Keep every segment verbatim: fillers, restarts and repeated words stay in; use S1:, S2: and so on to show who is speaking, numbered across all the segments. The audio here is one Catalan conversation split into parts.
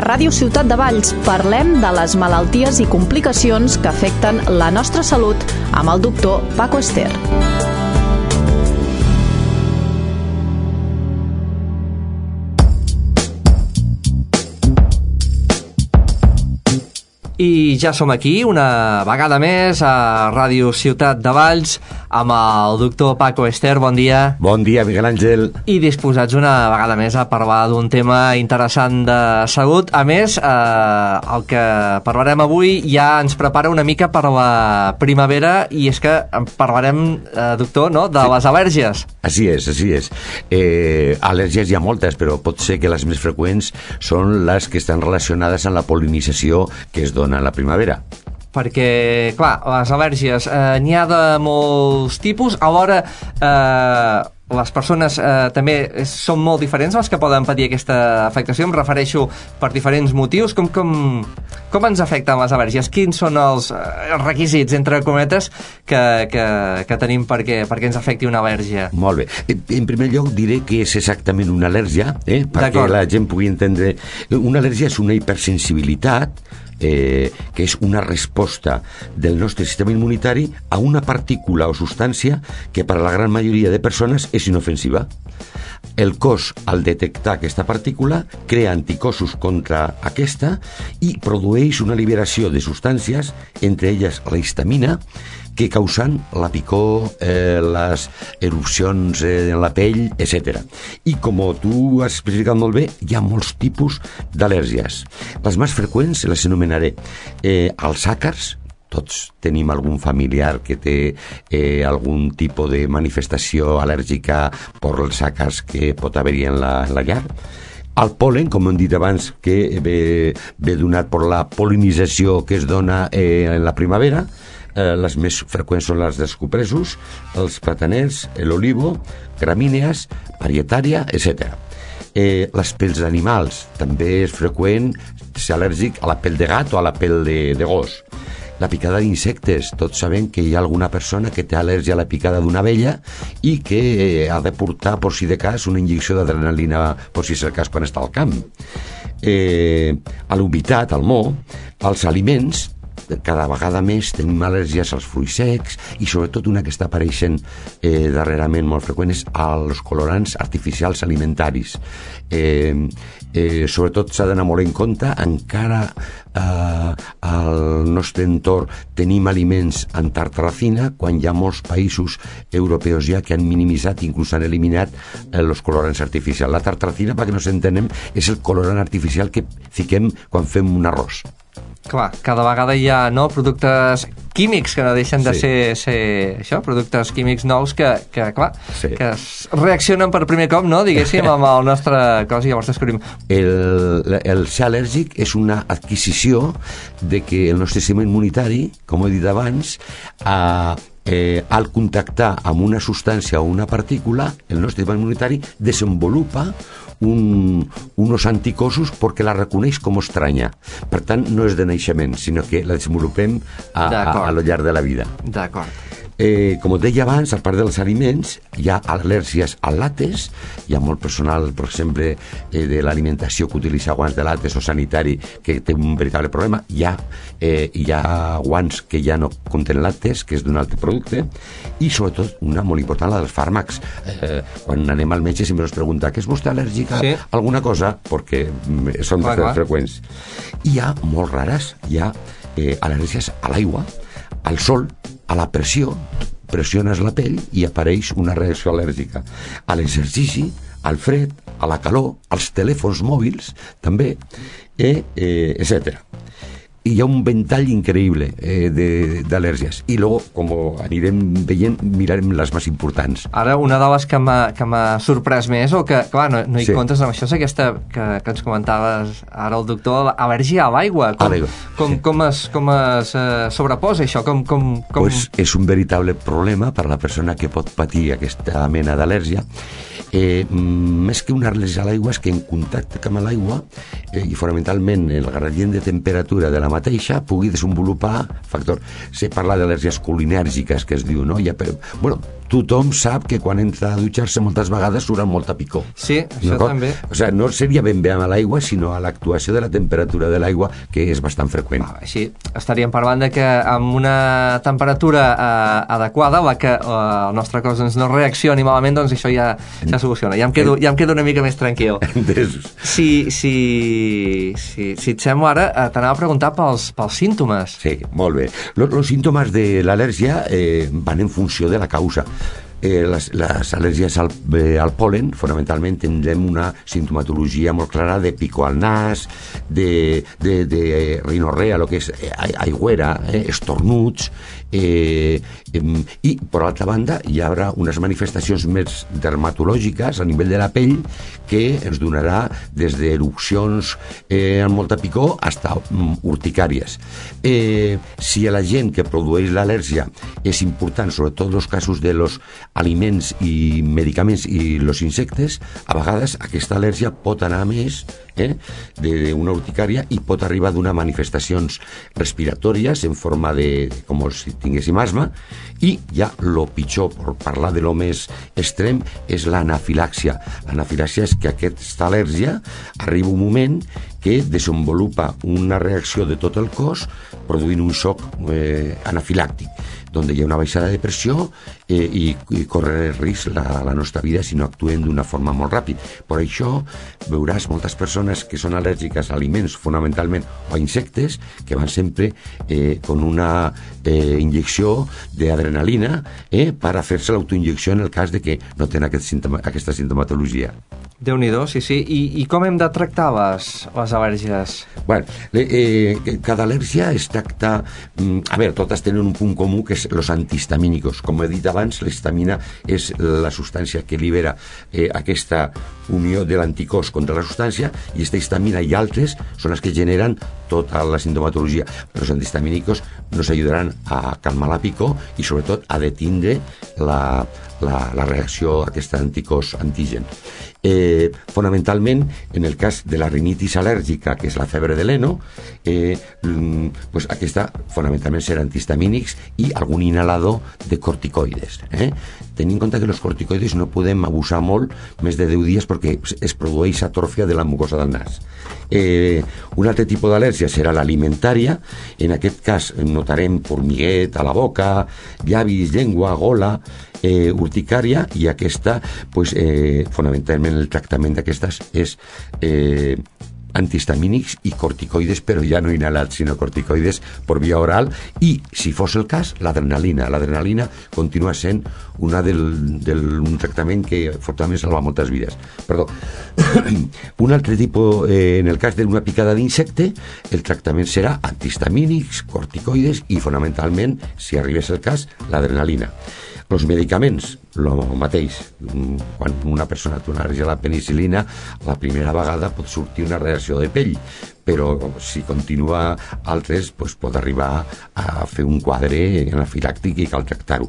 S1: Ràdio Ciutat de Valls parlem de les malalties i complicacions que afecten la nostra salut amb el doctor Paco Ester.
S2: I ja som aquí, una vegada més, a Ràdio Ciutat de Valls, amb el doctor Paco Ester. Bon dia.
S3: Bon dia, Miguel Àngel.
S2: I disposats una vegada més a parlar d'un tema interessant de salut. A més, eh, el que parlarem avui ja ens prepara una mica per la primavera, i és que parlarem, eh, doctor, no?, de sí. les al·lèrgies.
S3: Així és, així és. Eh, al·lèrgies hi ha moltes, però pot ser que les més freqüents són les que estan relacionades amb la pol·linització que es dona a la primavera.
S2: Perquè, clar, les al·lèrgies eh, n'hi ha de molts tipus. Alhora, eh, les persones eh, també són molt diferents, les que poden patir aquesta afectació. Em refereixo per diferents motius. Com, com, com ens afecten les al·lèrgies? Quins són els, els requisits, entre cometes, que, que, que tenim perquè, perquè ens afecti una al·lèrgia?
S3: Molt bé. En primer lloc diré que és exactament una al·lèrgia, eh? perquè la gent pugui entendre. Una al·lèrgia és una hipersensibilitat, Eh, que és una resposta del nostre sistema immunitari a una partícula o substància que per a la gran majoria de persones és inofensiva. El cos, al detectar aquesta partícula, crea anticossos contra aquesta i produeix una liberació de substàncies, entre elles la histamina, que causen la picor, eh, les erupcions eh, en la pell, etcètera. I com tu has especificat molt bé, hi ha molts tipus d'al·lèrgies. Les més freqüents les anomenaré eh, els àcars. Tots tenim algun familiar que té eh, algun tipus de manifestació al·lèrgica per els àcars que pot haver-hi en la, en la llar. El pol·len, com hem dit abans, que ve, ve donat per la pol·linització que es dona eh, en la primavera. Eh, les més freqüents són les dels cupressos, els plataners, l'olivo, gramínees, parietària, etcètera. Eh, les pels d'animals, també és freqüent ser al·lèrgic a la pell de gat o a la pell de, de gos. La picada d'insectes, tots sabem que hi ha alguna persona que té al·lèrgia a la picada d'una abella i que eh, ha de portar, per si de cas, una injecció d'adrenalina, per si és el cas, quan està al camp. Eh, a l'humitat, al mo, als aliments, cada vegada més tenim al·lèrgies als fruits secs, i sobretot una que està apareixent eh, darrerament molt freqüent és als colorants artificials alimentaris. Eh, eh, sobretot s'ha d'anar molt en compte, encara eh, al nostre entorn tenim aliments en tartaracina, quan hi ha molts països europeus ja que han minimitzat, inclús han eliminat eh, els colorants artificials. La tartaracina, perquè no s'entenem, és el colorant artificial que fiquem quan fem un arròs.
S2: Clar, cada vegada hi ha, no, productes químics que no deixen de
S3: sí.
S2: ser, ser això, productes químics nous que, que clar,
S3: sí.
S2: que reaccionen per primer cop, no, diguéssim, amb el nostre cos, i llavors descobrim.
S3: El, el ser al·lèrgic és una adquisició de que el nostre sistema immunitari, com he dit abans, a Eh, al contactar amb una substància o una partícula, el nostre sistema immunitari desenvolupa un, unos anticossos perquè la reconeix com estranya. Per tant, no és de naixement, sinó que la desenvolupem a, a, a lo llarg de la vida.
S2: D'acord.
S3: Eh, com et deia abans, a part dels aliments, hi ha al·lèrgies al làtex. Hi ha molt personal, per exemple, eh, de l'alimentació que utilitza guants de làtex o sanitari que té un veritable problema. Hi ha, eh, hi ha guants que ja no contenen làtex, que és d'un altre producte, i sobretot una molt important, la dels fàrmacs. Eh, quan anem al metge sempre ens pregunta que és vostè al·lèrgic a sí. alguna cosa, perquè són
S2: clar, clar.
S3: freqüents. Hi ha molt rares, hi ha eh, al·lèrgies a l'aigua, al sol, a la pressió, pressiones la pell i apareix una reacció al·lèrgica. A l'exercici, al fred, a la calor, als telèfons mòbils, també, eh, eh, etcètera. I hi ha un ventall increïble eh, d'al·lèrgies. I luego, com anirem veient, mirarem les més importants.
S2: Ara, una de les que m'ha sorprès més, o que, clar, no, no hi
S3: sí. comptes
S2: amb això, és aquesta que, que ens comentaves ara el doctor, al·lèrgia a l'aigua. Com, com, sí. com es, com es eh, sobreposa això? Com, com, com...
S3: Pues és un veritable problema per a la persona que pot patir aquesta mena d'al·lèrgia. Eh, més que una al·lèrgia a l'aigua és que en contacte amb l'aigua eh, i fonamentalment el gradient de temperatura de la mateixa pugui desenvolupar factor. Se parla d'al·lèrgies colinèrgiques, que es diu, no? Ja, però, bueno, tothom sap que quan entra a dutxar-se moltes vegades surt amb molta picor.
S2: Sí, això també.
S3: O sigui, no seria ben bé amb l'aigua, sinó a l'actuació de la temperatura de l'aigua, que és bastant freqüent.
S2: Ah, així estaríem parlant de que amb una temperatura eh, adequada, la que eh, el nostre cos doncs, no reaccioni malament, doncs això ja, ja soluciona. Ja em quedo, ja em quedo una mica més tranquil. Si, si, si, si et sembla ara, eh, t'anava a preguntar pels, pels símptomes.
S3: Sí, molt bé. Los, los síntomas de l'al·lèrgia eh, van en funció de la causa. Eh, les, les al·lèrgies al, eh, al pol·len, fonamentalment tindrem una sintomatologia molt clara de picor al nas, de, de, de rinorrea, el que és aigüera, eh, estornuts, eh, eh, i per altra banda hi haurà unes manifestacions més dermatològiques a nivell de la pell que ens donarà des d'erupcions eh, amb molta picor fins a um, urticàries. Eh, si a la gent que produeix l'al·lèrgia és important, sobretot els casos de los aliments i medicaments i els insectes, a vegades aquesta al·lèrgia pot anar més eh, d'una urticària i pot arribar d'unes manifestacions respiratòries en forma de, com si tinguéssim asma, i ja lo pitjor, per parlar de lo més extrem, és l'anafilàxia. L'anafilàxia és que aquesta al·lèrgia arriba un moment que desenvolupa una reacció de tot el cos produint un xoc eh, anafilàctic, on hi ha una baixada de pressió eh, i, i corre risc la, la nostra vida si no actuem d'una forma molt ràpida. Per això veuràs moltes persones que són al·lèrgiques a aliments, fonamentalment, o a insectes, que van sempre eh, con una eh, inyecció d'adrenalina eh, per a fer-se l'autoinjecció en el cas de que no tenen aquest símptoma, aquesta sintomatologia.
S2: Déu-n'hi-do, sí, sí. I, I com hem de tractar les, les al·lèrgies?
S3: Bueno, eh, cada al·lèrgia es tracta... A veure, totes tenen un punt comú, que és els antihistamínicos. Com he dit abans, l'histamina és la substància que libera eh, aquesta unió de l'anticòs contra la substància, i aquesta histamina i altres són les que generen tota la sintomatologia. Però els antihistamínicos nos ajudaran a calmar la picor i, sobretot, a detindre la, la, la reacció a aquest anticòs antigen. Eh, fonamentalment, en el cas de la rinitis al·lèrgica, que és la febre de l'heno, eh, pues aquesta fonamentalment serà antihistamínics i algun inhalador de corticoides. Eh? Tenint en compte que els corticoides no podem abusar molt més de deu dies perquè es produeix atròfia de la mucosa del nas. Eh, un altre tipus d'al·lèrgia serà l'alimentària. En aquest cas notarem formiguet a la boca, llavis, llengua, gola, eh, urticària, i aquesta, pues, eh, fonamentalment el tractament d'aquestes és eh, antihistamínics i corticoides, però ja no inhalats, sinó corticoides per via oral, i, si fos el cas, l'adrenalina. L'adrenalina continua sent una del, del, un tractament que fortament salva moltes vides. Perdó. Un altre tipus, eh, en el cas d'una picada d'insecte, el tractament serà antihistamínics, corticoides i, fonamentalment, si arribés el cas, l'adrenalina. Els medicaments, el mateix. Quan una persona té una al·lèrgia a la penicil·lina, la primera vegada pot sortir una reacció de pell, però si continua altres, pues, pot arribar a fer un quadre anafilàctic i cal tractar-ho.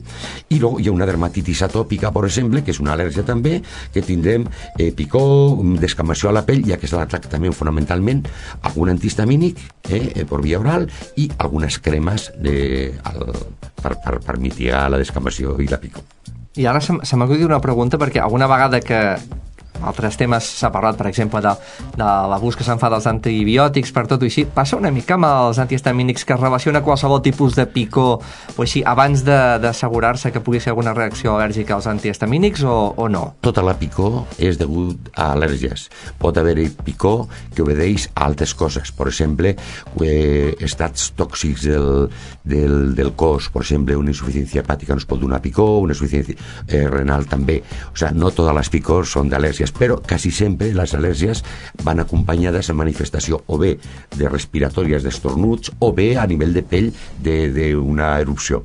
S3: I després hi ha una dermatitis atòpica, per exemple, que és una al·lèrgia també, que tindrem eh, picor, descamació a la pell, i aquesta la tractament fonamentalment algun antihistamínic eh, per via oral i algunes cremes de, al, per, per, per mitigar la descamació i la picor.
S2: I ara se, se m'acudit una pregunta, perquè alguna vegada que altres temes s'ha parlat, per exemple, de, de l'abús que se'n fa dels antibiòtics per tot i així, passa una mica amb els antihistamínics que es relaciona qualsevol tipus de picor o així, abans d'assegurar-se que pugui ser alguna reacció al·lèrgica als antihistamínics o, o no?
S3: Tota la picor és degut a al·lèrgies. Pot haver-hi picor que obedeix a altres coses, per exemple, eh, estats tòxics del, del, del cos, per exemple, una insuficiència hepàtica ens pot donar picor, una insuficiència eh, renal també. O sigui, no totes les picors són d'al·lèrgies, però quasi sempre les al·lèrgies van acompanyades en manifestació o bé de respiratòries, d'estornuts, o bé a nivell de pell d'una erupció.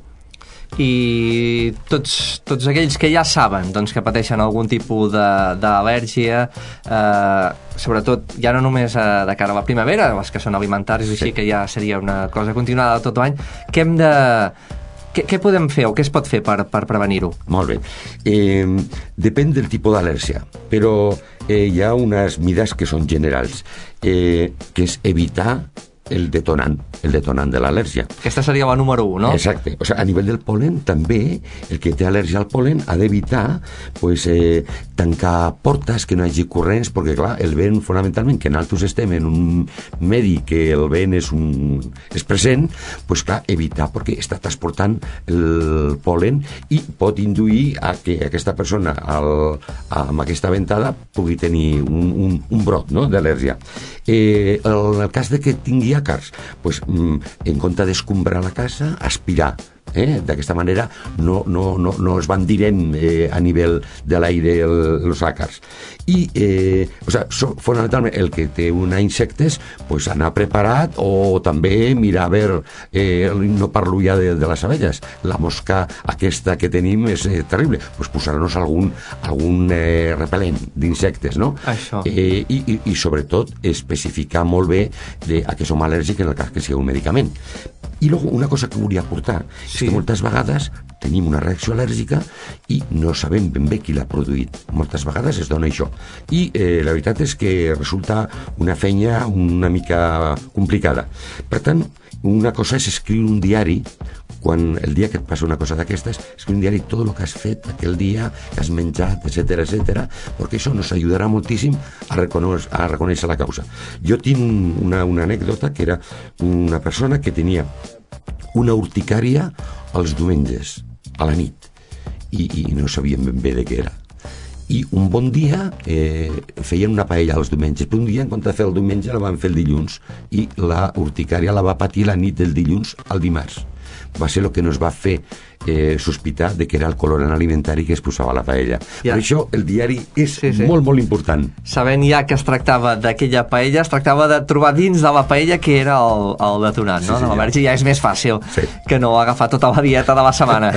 S2: I tots, tots aquells que ja saben doncs, que pateixen algun tipus d'al·lèrgia, eh, sobretot ja no només eh, de cara a la primavera, les que són alimentaris, sí, així que ja seria una cosa continuada tot l'any, què hem de... Què, què podem fer o què es pot fer per, per prevenir-ho?
S3: Molt bé. Eh, depèn del tipus d'al·lèrgia, però eh, hi ha unes mides que són generals, eh, que és evitar el detonant, el detonant de l'al·lèrgia.
S2: Aquesta seria la número un, no?
S3: Exacte. O sigui, a nivell del polen, també, el que té al·lèrgia al polen ha d'evitar pues, eh, tancar portes, que no hi hagi corrents, perquè, clar, el vent, fonamentalment, que nosaltres estem en un medi que el vent és, un, és present, pues, clar, evitar, perquè està transportant el polen i pot induir a que aquesta persona, al, amb aquesta ventada, pugui tenir un, un, un brot, no?, d'al·lèrgia. Eh, en el cas de que tingui àcars, pues, en compte d'escombrar la casa, aspirar. Eh? D'aquesta manera no, no, no, no es van dirent eh, a nivell de l'aire els àcars. I eh, o sea, so, fonamentalment el que té una insectes, pues, anar preparat, o també mirar a veure, eh, no parlo ja de, de les abelles, la mosca aquesta que tenim és eh, terrible, pues posar-nos algun, algun eh, repel·lent d'insectes, no?
S2: Això.
S3: Eh, i, i, i sobretot especificar molt bé de, a què som al·lèrgics en el cas que sigui un medicament. I luego, una cosa que volia aportar és
S2: sí.
S3: que moltes vegades tenim una reacció al·lèrgica i no sabem ben bé qui l'ha produït. Moltes vegades es dona això. I eh, la veritat és que resulta una feina una mica complicada. Per tant, una cosa és escriure un diari, quan el dia que et passa una cosa d'aquestes, escriure un diari tot el que has fet aquell dia, que has menjat, etcètera, etcètera, perquè això nos ajudarà moltíssim a reconèixer, a reconèixer la causa. Jo tinc una, una anècdota que era una persona que tenia una urticària els diumenges, a la nit, i, i no sabíem ben bé de què era. I un bon dia eh, feien una paella els diumenges, però un dia en compte de fer el diumenge la van fer el dilluns, i la urticària la va patir la nit del dilluns al dimarts. Va ser el que nos va fer eh, sospitar de que era el colorant alimentari que es posava a la paella. Ja. Per això el diari és sí, sí. molt, molt important.
S2: Sabent ja que es tractava d'aquella paella, es tractava de trobar dins de la paella que era el, el detonant, no? Sí, sí, de l'al·lèrgia ja és més fàcil sí. que no agafar tota la dieta de la setmana.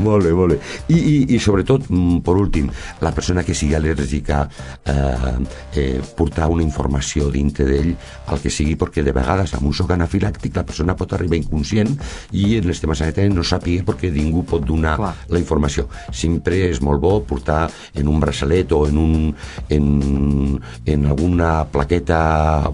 S3: Molt bé, molt bé. I, i, i sobretot, per últim, la persona que sigui al·lèrgica eh, eh, portar una informació dintre d'ell, el que sigui, perquè de vegades amb un xoc anafilàctic la persona pot arribar inconscient i en els temes sanitaris no sàpiga perquè ningú pot donar Clar. la informació. Sempre és molt bo portar en un braçalet o en, un, en, en alguna plaqueta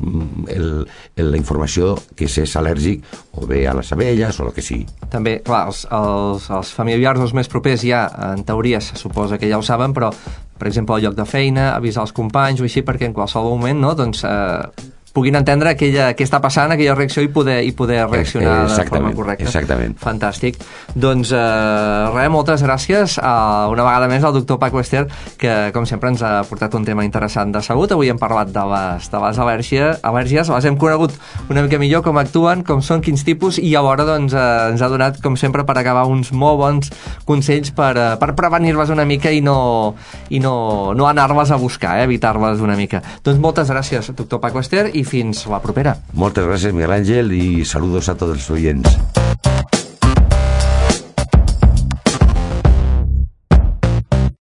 S3: el, el, la informació que s'és al·lèrgic o bé a les abelles o el que sigui.
S2: També, clar, els, els, els familiars els més propers ja, en teoria, se suposa que ja ho saben, però, per exemple, al lloc de feina, avisar els companys o així, perquè en qualsevol moment, no?, doncs... Eh, puguin entendre aquella, què està passant, aquella reacció i poder, i poder reaccionar de forma correcta.
S3: Exactament.
S2: Fantàstic. Doncs eh, res, moltes gràcies a, una vegada més al doctor Paco Ester, que com sempre ens ha portat un tema interessant de salut. Avui hem parlat de les, de les al·lèrgies, al·lèrgies, les hem conegut una mica millor, com actuen, com són, quins tipus, i alhora doncs, eh, ens ha donat, com sempre, per acabar uns molt bons consells per, eh, per prevenir-les una mica i no, i no, no anar-les a buscar, eh, evitar-les una mica. Doncs moltes gràcies, doctor Paco Ester, i fins la propera.
S3: Moltes gràcies, Miguel Àngel, i saludos a tots els oients.